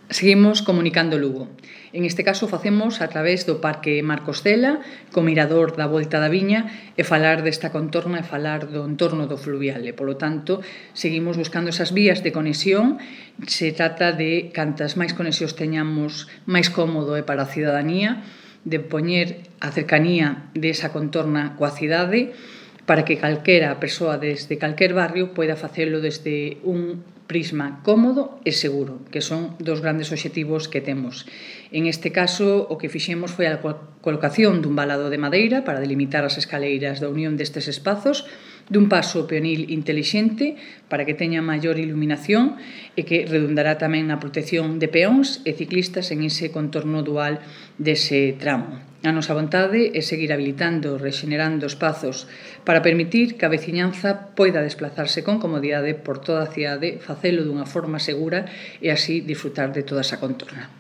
Seguimos comunicando Lugo. En este caso facemos a través do Parque Marcos Cela, co mirador da Volta da Viña, e falar desta contorna e falar do entorno do fluvial. E, polo tanto, seguimos buscando esas vías de conexión. Se trata de cantas máis conexións teñamos, máis cómodo é para a cidadanía, de poñer a cercanía desa contorna coa cidade, para que calquera persoa desde calquer barrio poida facelo desde un prisma cómodo e seguro, que son dos grandes obxectivos que temos. En este caso, o que fixemos foi a colocación dun valado de madeira para delimitar as escaleiras da unión destes espazos, dun paso peonil intelixente para que teña maior iluminación e que redundará tamén na protección de peóns e ciclistas en ese contorno dual dese tramo. A nosa vontade é seguir habilitando, rexenerando espazos para permitir que a veciñanza poida desplazarse con comodidade por toda a cidade, facelo dunha forma segura e así disfrutar de toda esa contorna.